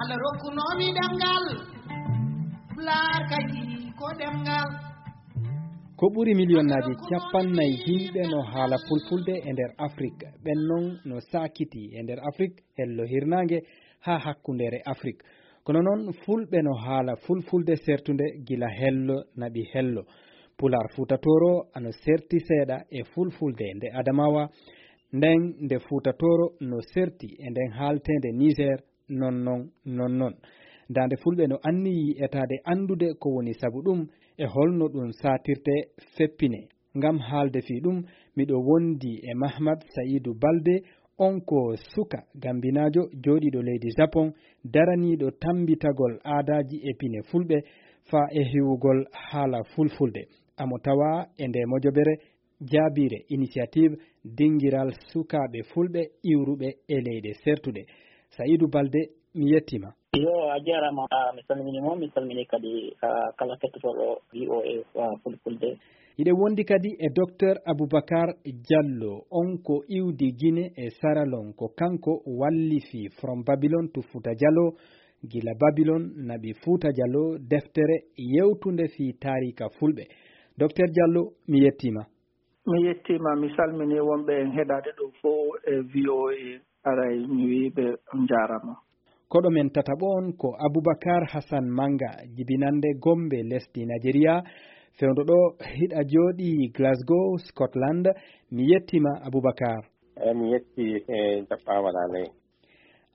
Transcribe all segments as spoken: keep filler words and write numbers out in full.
Allah rokkunoomi ɗemngal, Pulaar kadi ko ɗemngal. Ko ɓuri miliyonnaaji cappannayi yimɓe no haala fulfulde e nder Afrik. Ɓen non no saakiti e nder Afrik, hello hirnaange haa hakkundeere Afrik. Kono non, fulɓe no haala fulfulde sertunde gila hello naɓi hello. Pulaar Fuuta Tooro ano serti seeɗa e fulfulde nde Adamawa, nden nde Fuuta Tooro no serti e nden haalteende Niger, non non, non non. Daande fulɓe no anniyii etaade anndude ko woni sabu ɗum e holno ɗum saatirtee, feppinee. Ngam haalde fii ɗum, miɗo wondi e Mahmad Sa'idu Balde, on ko suka gambinaajo jooɗiiɗo leydi Japon, daraniiɗo tammbitagol aadaaji e pine fulɓe faa e hiwugol haala fulfulde. Amo tawaa e ndee mojobere jaabiire initiative dingiral sukaaɓe fulɓe iwruɓe e leyɗe sertuɗe. Sa'idu Balde, mi yettiima. Yo, a jaaraama. Ah, mi salmini mo, mi salmini kadi, ah, kala kettotooɗo V O A, ah, Fulfulde. Hiɗen wondi kadi e Docteur Aboubacar Diallo, on ko iwdi Gine e Saralon, ko kanko wallifi From Babylon to Futa Jaloo, gila Babylon naɓi Futa Jaloo, deftere yewtunde fii taariika fulɓe. Docteur Diallo, mi yettiima. Mi yettiima, mi salminii wonɓe en heɗaade ɗoo fof e V O A. Aray, mi wii ɓe on njaaraama. Koɗo men tataɓo on ko Aboubacar Hassan Manga, jibinannde Gombe, lesdi Najeriya. Fewndo ɗoo, hiɗa jooɗii Glasgow, Scotland. Mi yettiima, Aboubacar. Eey, mi yettii, e jaɓɓaama ɗaa ley.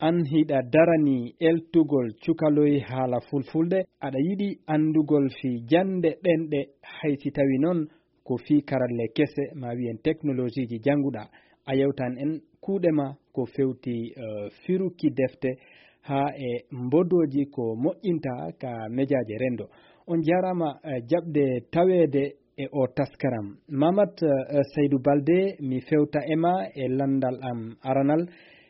An hiɗa daranii eltugol cukaloy haala fulfulde, aɗa yiɗi anndugol fii jannde ɗemɗe, hay si tawii non ko fii karalle kese, maa wiyen teknolojiiji jannguɗaa. A yewtan en kuuɗe maa ko fewti, eh, firuki defte haa e mbodooji ko moƴƴinta ka mejaaje renndo. On njaaraama, eh, jaɓde taweede e oo taskaram. Mamat, eh, Saydou Balde, mi fewta e maa e lanndal am aranal.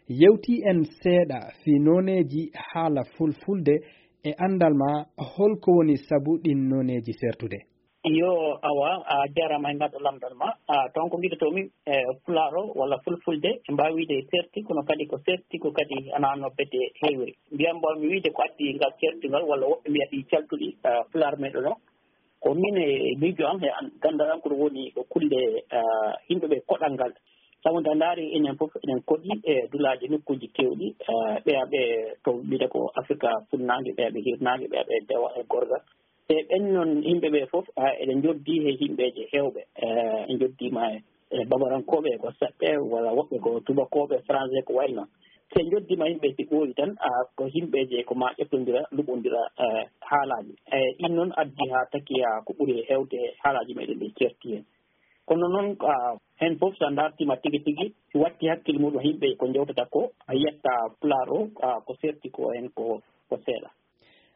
Yewtii en seeɗa fii nooneeji haala fulfulde e anndal maa, holko woni sabu ɗin nooneeji sertude? Yo, awa, a jaaraama e ngaɗo lamndal maa. A, toon ko ngiɗotoo-mi, e, Pulaar o walla Fulfulde, en mbaawi wiide serti, kono kadi ko serti ko kadi ana no bete heewiri. Mbiyan mbo mi wiide ko addi ngal serti ngal, walla woɓɓe mbiya ɗi caltuɗi, a, Pulaar meɗen o. Ko min e miijo am e an-, ganndal am ko ɗum woni ko kulle, a, yimɓe ɓe koɗal ngal. Sabu nde a ndaari enen fof eɗen koɗi e dulaaji nokkuuji keewɗi, a, ɓeya ɓe to wiyde ko Afrika funnaange, ɓeya ɓe hirnaange, ɓeya ɓe dewa e gorga. E ɓen noon yimɓe ɓe fof, a, eɗen njoddi he yimɓeeje heewɓe. E, en njoddiima e, e Bambarankooɓe ko saɗɓe, walla woɓɓe ko tubakooɓe, français ko wayi noon. Si en njoddiima yimɓe si ɓooyi tan, a, ko yimɓeeje ko maa ƴettondira, luɓondira, e, haalaaji. E, ɗin noon addi haa taki, a, ko ɓuri heewde haalaaji meɗen ɗi certi heen. Kono noon, a, heen fof so a ndaartiima tigi tigi, si watti hakkille muɗum yimɓe ko njewtata ko, a yiyat Pulaar o, a, ko serti ko heen ko, ko seeɗa.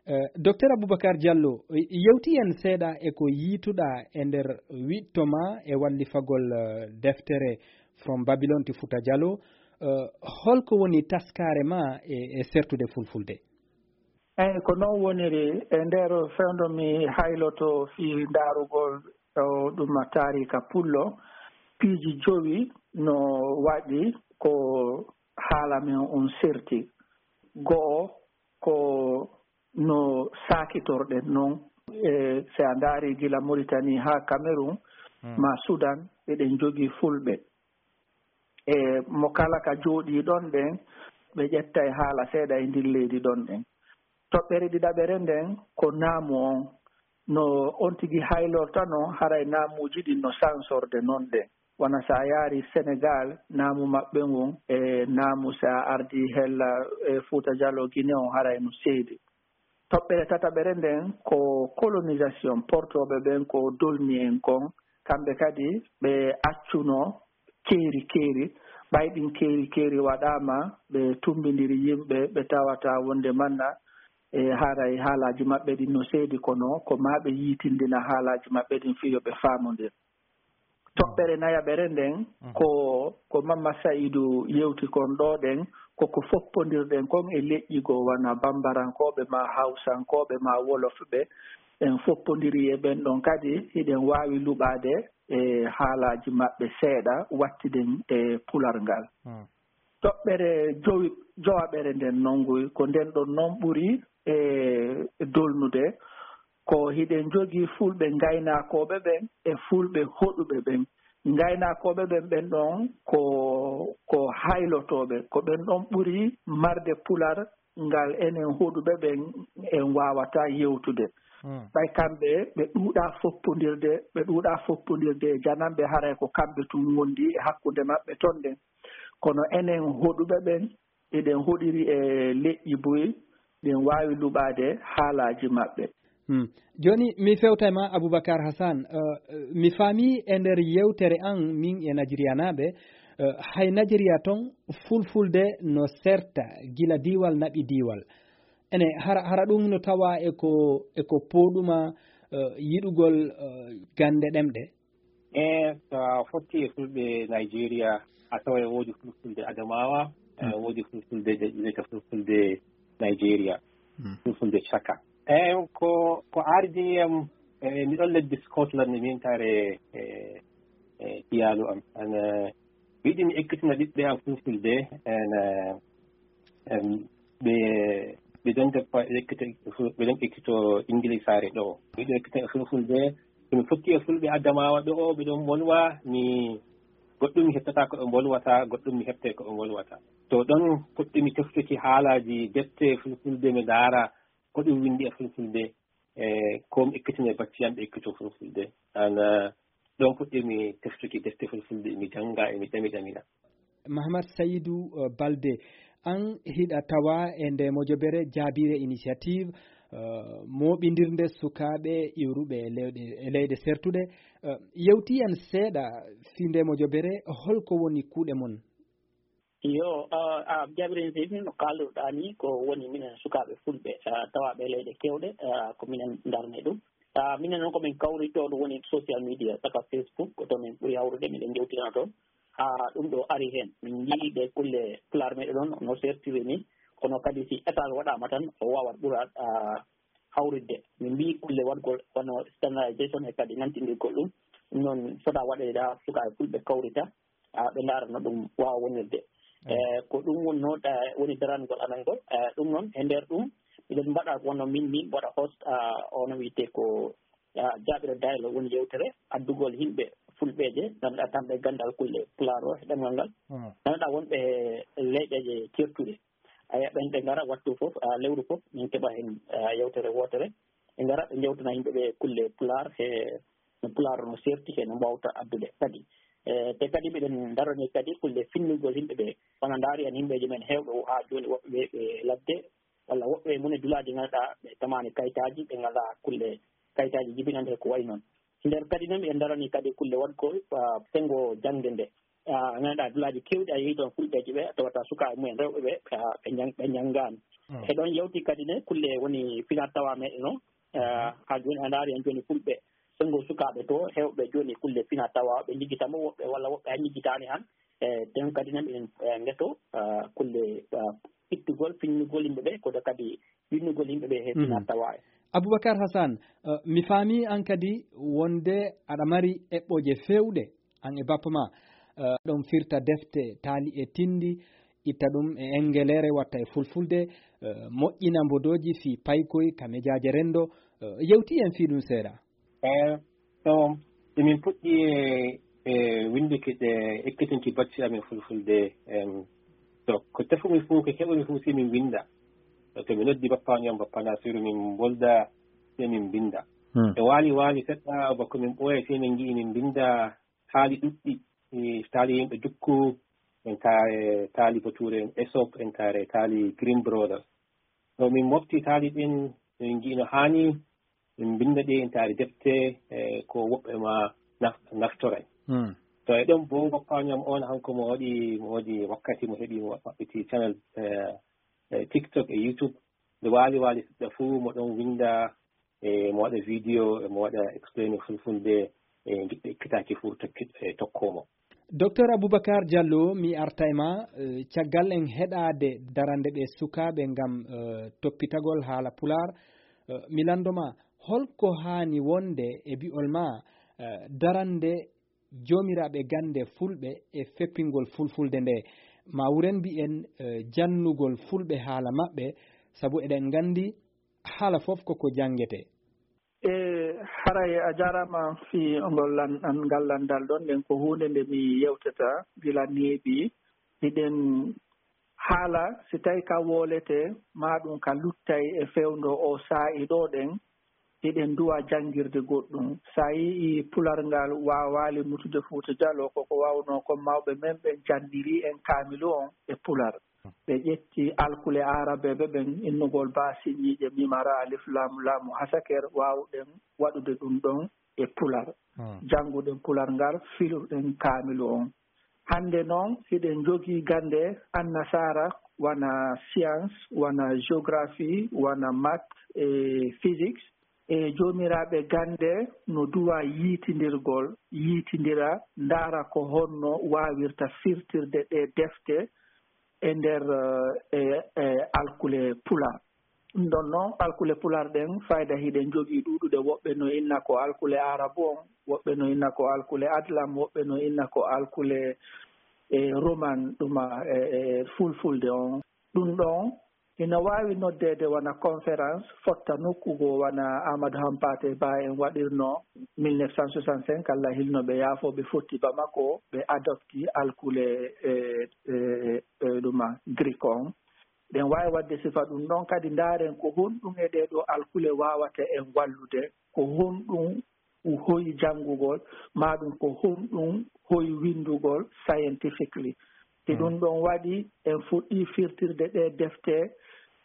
Eh, Docteur Aboubacar Diallo, yewti en seeɗa e ko yiituɗaa e nder wiɗto maa e wallifagol, eh, deftere From Babylon to Futa Jaloo. Eh, holko woni taskaare maa e, e sertude fulfulde? Eey, ko noon woniri. E nder fewndo mi hayloto fii ndaarugol o ɗum taariika pullo, piiji jowi no waɗi ko haala men on serti. Go'o, ko no saakitorɗen non. E, si a ndaari gila Mauritanie haa Cameroun, hmm, maa Sudan, eɗen jogii fulɓe. E mo kala ka jooɗii ɗon ɗen, ɓe ƴettay haala seeɗa e ndin leydi ɗon ɗen. Toɓɓere ɗiɗaɓere nden ko naamu on. No on tigi haylorta non, haray naamuuji ɗin no sansorde non ɗen. Wano si a yaari Senegal, naamu maɓɓe ngun e naamu si a ardii hella e Fuuta Jaloo Gine on, haray no seedi. Toɓɓere tataɓere nden ko colonisation, portooɓe ɓen ko dolmi en kon, kamɓe kadi ɓe accuno keeri keeri, ɓay ɗin keeri keeri waɗaama, ɓe tumbindiri yimɓe, ɓe tawata wonde manna, e haray haalaaji maɓɓe ɗin no seedi, kono ko maa ɓe yiitindina haalaaji maɓɓe ɗin fii yo ɓe faamondir. Toɓɓere nayaɓere nden, mhm, ko, ko Mamma Sa'idu yewti kon ɗoo ɗen, ko ko foppondirɗen kon e leƴƴi goo, wano Bambarankooɓe maa Hawsankooɓe maa Wolofɓe, en foppondiri e ɓen ɗon kadi, hiɗen waawi luɓaade e haalaaji maɓɓe seeɗa, wattiden e Pular ngal. Hmm. Toɓɓere jowi jowaɓere nden nonnguy ko nden ɗon noon ɓuri e dolnude. Ko hiɗen njogii fulɓe ngaynaakooɓe ɓen e fulɓe hoɗuɓe ɓen. Ngaynaakooɓe ɓen ɓen ɗon ko ko haylotooɓe, ko ɓen ɗon ɓuri marde pular ngal enen hoɗuɓe ɓen en waawataa yewtude. Ɓay kamɓe ɓe ɗuuɗaa foppondirde, ɓe ɗuuɗaa foppondirde e jananɓe, haray ko kamɓe tun wondi e hakkunde maɓɓe ton ɗen. Kono enen hoɗuɓe ɓen, eɗen hoɗiri e leƴƴi buy, ɗen waawi luɓaade haalaaji maɓɓe. Hmm. Jooni, mi fewta e ma, Aboubacar Hassan. Eh, mi faami e nder yewtere an, min e Najeriyanaaɓe, eh, hay Najeriya ton, fulfulde no serta gila diiwal naɓi diiwal. Ene, hara, hara ɗum no tawa e ko, e ko pooɗuma, eh, yiɗugol, eh, gannde ɗemɗe? E so a fotti e fulɓe Nigeria, a tawa e woodi fulfulde Adamawa, e woodi fulfulde je wiyata fulfulde Nigeria, fulfulde Chaka. E ko, ko ardini am, e mi ɗon leddi Scotland, e min tare e, e iyaalu am. An, e, mi yiɗi mi ekkitina ɓiɓɓe am fulfulde, en, e, em, ɓe, ɓe ɗon joppa ekkito, ɓe ɗon ekkito Ingilisaare ɗo. Ɓe ɗon ekkito e fulfulde. So mi fotti e fulɓe Adamawa ɗo, ɓe ɗon mbolwa, mi, goɗɗum mi heɓtata ko ɓe mbolwata, goɗɗum mi heɓtay ko ɓe mbolwata. To ɗon puɗɗimi teftuki haalaaji defte fulfulde, mi ndaara ko ɗum winndi e fulfulde, e ko mi ekkitina e bacci am ɓe ekkito fulfulde. An, eh, ɗon puɗɗimi teftuki defte fulfulde, mi jannga, e mi ɗami ɗamina. Mahamad Sayidu, eh, Balde, an hiɗa tawa e nde mojobere Jaabire Initiative, eh, mooɓindirnde sukaaɓe iwruɓe e leyɗe, e leyɗe sertuɗe. Eh, yewti en seeɗa fii nde mojobere, holko woni kuuɗe mon? Iyo, ah, ah, Jaabire Initiative no kaalduɗaa ni, ko woni minen sukaaɓe fulɓe, ah, tawaaɓe e leyɗe keewɗe, ah, ko minen ndarnee ɗum. Ah, minen noon ko min kawritoo ɗum woni social media, saka Facebook, ko to min ɓuri hawrude, miɗen njewtina toon. Haa ɗum ɗo ari heen. Min njii ɗe kulle pulaar meɗen ɗoon no sertiri ni, kono kadi si état waɗaama tan, o waawat ɓuraat, ah, hawritde. Min mbii kulle waɗgol wano standardisation e kadi nantindirgol ɗum. Ɗum noon fota waɗeede haa sukaaɓe fulɓe kawrita, ah, ɓe ndaara no ɗum waawa wonirde. Mm. Eh, ko ɗum wonnoo, eh, woni darangol amen ngol. Eh, ɗum noon, e nder ɗum, miɗen mbaɗa wonno min, min mbaɗa host, ah, ono wiyetee ko, ah, Jaabira Dialogue, woni yewtere addugol yimɓe fulɓeeje, ngannduɗaa tan ɓe ganndal kulle pulaar o e ɗemngal ngal. Mm. Ngannduɗaa wonɓe e leyɗeeje ceertuɗe. Aya, ɓen ɓe ngara wattu fof, ah, lewru fof, min keɓa heen, ah, yewtere wootere. Ɓe ngara, ɓe njewtana yimɓe ɓe kulle pulaar, he no pulaar no serti, he no mbaawta addude kadi. Eh, te kadi miɗen ndarani kadi kulle finnugol yimɓe ɓe. Wona ndaari en yimɓeeji men heewɓe o haa jooni woɓɓe ɓe, ɓe ladde, walla woɓɓe mum e dulaaji ngannduɗaa ɓe tamaani kayitaaji, ɓe ngalaa kulle kayitaaji jibinande ko wayi noon. Nder kadi noon miɗen ndarani kadi kulle waɗgol, ah, senngo jaŋde nde. Ah, ngannduɗaa dulaaji keewɗi a yehi toon fulɓeeji ɓe, a tawata sukaaɓe mumen rewɓe ɓe, ah, ɓe njang-, ɓe njanngaani. Mm. E ɗoon yawti kadi ne kulle woni fina tawa meɗen o, ah, haa jooni a ndaari en jooni fulɓe senngo sukaaɓe to, heewɓe jooni kulle fina tawa ɓe njigita mo woɓɓe walla woɓɓe a njigitaani han. E ɗen kadi ne miɗen, eh, ngeto, ah, kulle, ah, ittugol, finnugol yimɓe ɓe, kono kadi winnugol yimɓe ɓe he fina tawa e. Aboubacar Hassan, eh, mi faami an kadi wonde aɗa mari eɓɓooje feewɗe, an e bappa ma, eh, ɗon firta defte taali e tinndi, itta ɗum e engeleere, watta e fulfulde, eh, moƴƴina mbodooji fii paykoy ka mejaaje renndo, eh, yewti en fii ɗum seeɗa. Eh, so emin puɗɗi e, e winnduki ɗe, ekkitinki bacci amin fulfulde, em, to ko tefumi fof, ko heɓumi fof, si min winnda. To mi noddi bappa on, bappa Nasiru, min mbolda, si min mbinnda. Hmm. E waali waali seɗɗa, bako min ɓooya, si min ngi'i min mbinnda taali ɗuɗɗi, e taali yimɓe dukku, en ka-, e taali bature en Aesop, en kaare taali Grimm Brothers. To min mofti taali ɗin, min ngi'i no haani, min mbinnda ɗi, en taari defte, e ko woɓɓe ma naf-, naftoray. Hmm. To e ɗon bo, bappa on on, hanko mo waɗi, mo waɗi wakkati mo heɓi, mo maɓɓiti channel, e, e TikTok e YouTube. Nde waali waali seɗɗa fuu, mo ɗon winnda, e mo waɗa video, e mo waɗa explain fulfulde, e ngiɗɗo ekkitaaki fuu tokki-, e tokkoo mo. Docteur Aboubacar Diallo, mi arta e ma, eh, caggal en heɗaade darande ɓe sukaaɓe ngam, eh, toppitagol haala pulaar, eh, mi lanndo ma, holko haani wonde e bi'ol ma, eh, darande joomiraaɓe gannde fulɓe e feppingol fulfulde nde? ma wuren mbiyen, eh, jannugol fulɓe haala maɓɓe, sabu eɗen nganndi haala fof koko janngetee. E haray a jaaraama fii ngol lan-, an-, ngal lanndal ɗon, nden ko huunde nde mi yewtata gila neeɓi. Hiɗen haala, si tawi ka wooletee, maa ɗum ka luttay e fewndo o saa'i ɗo ɗen, hiɗen duwa janngirde goɗɗum. Si a yi'ii pular ngal waawaali mutude Fuuta Jaloo, ko ko waawno kon mawɓe men ɓen janniri en kaamilu on e pular. Ɓe ƴetti alkule aarabeeɓe ɓen, innugol ba siñiiƴe mimara alif laamu laamu hasaker, waawuɗen waɗude ɗum ɗon e pular. Hmm. Jannguɗen pular ngal, filuɗen kaamilu on. Hannde noon, hiɗen njogii gannde annasaara, wona science, wona géographie, wona maths e physics. E joomiraaɓe gannde no duwa yiitindirgol, yiitindira, ndaara ko honno waawirta firtirde ɗee defte e nder, eh, e, e alkule pular. Ɗum ɗon noon, alkule pular ɗen, fayda hiɗen njogii ɗuuɗuɗe, woɓɓe no inna ko alkule aarabu on, woɓɓe no inna ko alkule adlam, woɓɓe no inna ko alkule, e, roman, ɗuma, e, e, fulfulde on. Ɗum ɗon ina waawi noddeede wona conférence fotta nokku goo, wona Amadou Hampâté Bâ en waɗirno mille neuf cent soixante-cinq, Alla hilno ɓe, yaafo, ɓe fotti Bamako, ɓe adopti alkule, e, e, e, ɗuma, Greek on. Ɗen waawi waɗde sifa ɗum ɗon. Kadi ndaaren ko honɗum e ɗee ɗoo alkule waawata en wallude, ko honɗum hoyi janngugol, maa ɗum ko honɗum hoyi winndugol scientifically. Si Hmm. ɗum ɗon waɗi, en fuɗɗii firtirde ɗee defte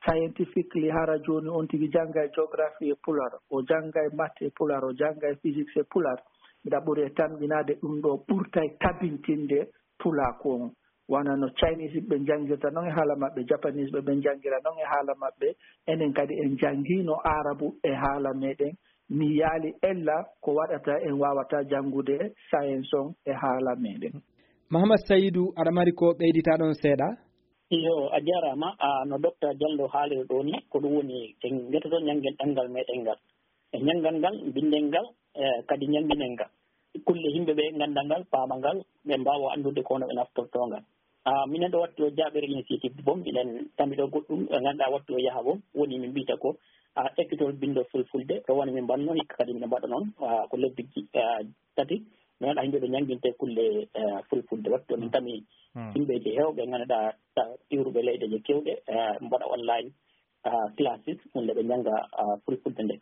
scientifically, hara jooni on tigi janngay geography e pular, o janngay maths e pular, o janngay physics e pular. Miɗa ɓuri e tamƴinaade ɗum ɗoo ɓurtay tabintinde pulaaku on. Wona no Chinese ɓe njanngirta noon e haala maɓɓe, Japanese ɓe, ɓe njanngira noon e haala maɓɓe, enen kadi en njanngiino Aarabu e haala meɗen. Mi yaali ella ko waɗata en waawataa janngude science on e haala meɗen. Mahamad Sayidu, aɗa mari ko ɓeyditaa ɗon seeɗa? Iyo, a jaaraama. A, no Docteur Jallo haaliri ɗoo ni, ko ɗum woni en ngetoto njanngen ɗemngal meɗen ngal. E njanngal ngal, mbinnɗen ngal, e kadi njannginɗen ngal. Kulle yimɓe ɓe ngannda ngal, paama ngal, ɓe mbaawa anndude ko hono ɓe naftortoo ngal. A, minen ɗo wattu o jaaɓere initiative boom, miɗen tammi ɗo goɗɗum, ɓe ngannduɗaa wattu o yaha boom, woni min mbiyta ko, a, ekkitol binndol fulfulde, ɗo woni min mbanno hikka kadi miɗen mbaɗa noon, a, ko lebbi, a, tati, mi waɗa yimɓe ɓe njannginte kulle, a, fulfulde. Wattu min tami yimɓeeji heewɓe ngannduɗaa, a, iwruɓe leyɗeeji keewɗe, a, mbaɗa online, a, classes, ɗum nde ɓe njannga, a, fulfulde nde.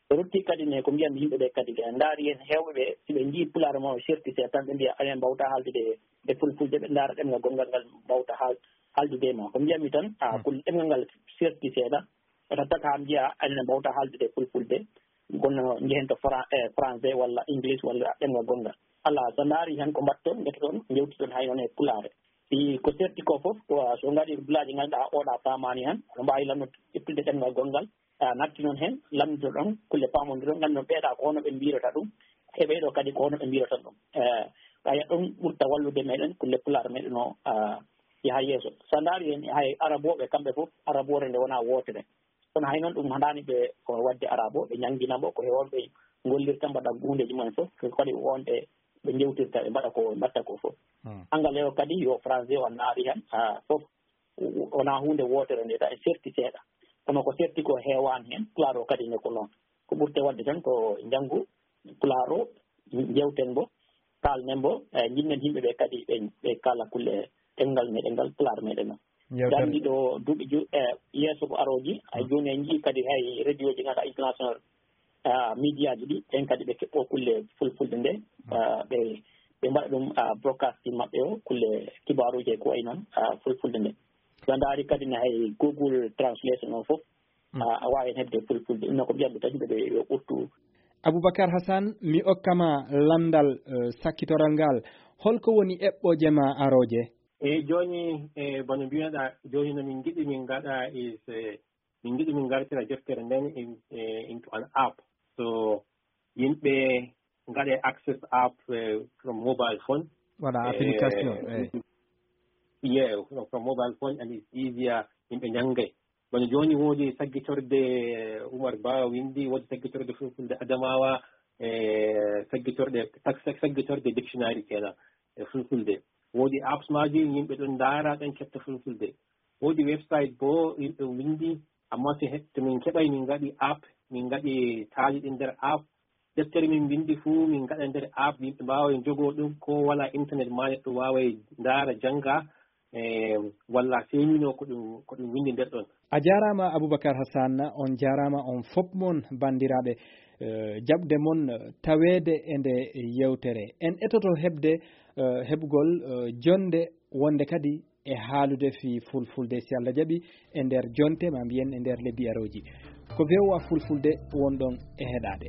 Ɓe ruttii kadi ne ko mbiyatmi yimɓe ɓe kadi, ɓe ndaari heen heewɓe ɓe, si ɓe njii pulaar mo serti seeɗa tan, ɓe mbiya aɗen mbawta haaldude e fulfulde, ɓe ndaara ɗemngal gonngal ngal mbawta haal-, haaldude e ma. Ko mbiyatmi tan, a, ko ɗemngal ngal serti seeɗa, ɓe tattata haa mbiya aɗen mbawta haaldude e fulfulde, kono njehen to Fra-, e, français walla English walla ɗemngal gonngal. Alaa, so ndaari heen ko mbaɗton, ngetoton, njewtiton hay noon e pulaar. Si ko serti ko fof, ko, so ngaɗii dulaaji ngannduɗaa oɗa faamaani heen, no mbaawi lanno ƴettude ɗemngal gonngal, a, natti noon heen, lamndito ɗon, kulle paamondiron, ngannduɗon ɓeeɗa ko hono ɓe mbirata ɗum, e ɓeeɗo kadi ko hono ɓe mbirata ɗum. E, ɓaya ɗum ɓurta wallude meɗen, kulle pulaar meɗen o, a, yaha yeeso. So a ndaari heen, hay arabooɓe kamɓe fof, araboore nde wonaa wootere. Kono hay noon ɗum haɗaani ɓe ko waɗde arabo, ɓe njanngina mbo, ko he on ɓe ngollirta, mbaɗa huundeeji mumen fof, ko kadi wonɓe ɓe njewtirta, ɓe mbaɗa ko ɓe mbaɗta ko fof. Hmm. Anglais o kadi yo français o naari heen, a, fof wonaa huunde wootere nde, tawi serti seeɗa. Kono ko serti ko heewaani heen, pulaar o kadi ne ko noon. Ko ɓurte waɗde tan ko njanngu pulaar o, njewten mbo, kaalnen mbo, e njiɗnen yimɓe ɓe kadi ɓe, ɓe kaala kulle ɗemngal meɗen ngal, pulaar meɗen o. Yewtere. Nganndi ɗo duuɓi ju-, e yeeso ko arooji, hay jooni en njii kadi hay radioji ngannduɗaa international, a, médiaji ɗi, ɓen kadi ɓe keɓɓo kulle fulfulde nde, a, ɓe, ɓe mbaɗa ɗum, a, broadcasting maɓɓe o, kulle kibaaruji e ko wayi noon, a, fulfulde nde. So a ndaari kadi ne hay Google Translation o fof, a, a waawi heɓde fulfulde. Ɗum noon ko mbiyatmi tan yimɓe ɓe yo ɓurtu. Aboubacar Hassane, mi okka ma lanndal, eh, sakkitoral ngal. Holko woni eɓɓooje ma arooje? Eyi, jooni, e, bano mbiyaɗa, jooni no min ngiɗi min ngaɗa is, e, min ngiɗi min ngartira deftere nden in, e, into an app. So yimɓe ngaɗe access app, e, from mobile phone. Waɗa, e, application, eyi. Yeah, from, from mobile phone and it's easier, yimɓe njanngay. Bano jooni woodi saggitorde Umar Ba windi, woodi saggitorde fulfulde Adamawa, e, saggitorde, sag-, sag-, saggitorde dictionary kenan, e, fulfulde. Woodi apps maaji, yimɓe ɗon ndaara, ɗon ketta fulfulde. Woodi website boo, yimɓe winndi, amma to he-, to min keɓay, min ngaɗi app, min ngaɗi taali ɗin nder app. Deftere min winndi fuu, min ngaɗa nder app, yimɓe mbaaway njogoo ɗum, ko walaa internet maa neɗɗo waaway ndaara, jannga, e, walla seemino ko ɗum, ko ɗum winndi nder ɗon. A jaaraama, Abubakar Hassan, on jaaraama on fop mon, banndiraaɓe, eh, jaɓde mon, eh, taweede e nde yewtere. En etoto heɓde, eh, heɓgol, eh, jonnde wonde kadi e haalude fii fulfulde, si Allah jaɓi, e nder jonte, maa mbiyen e nder lebbi arooji. Ko V O A Fulfulde wonɗon e heɗaade.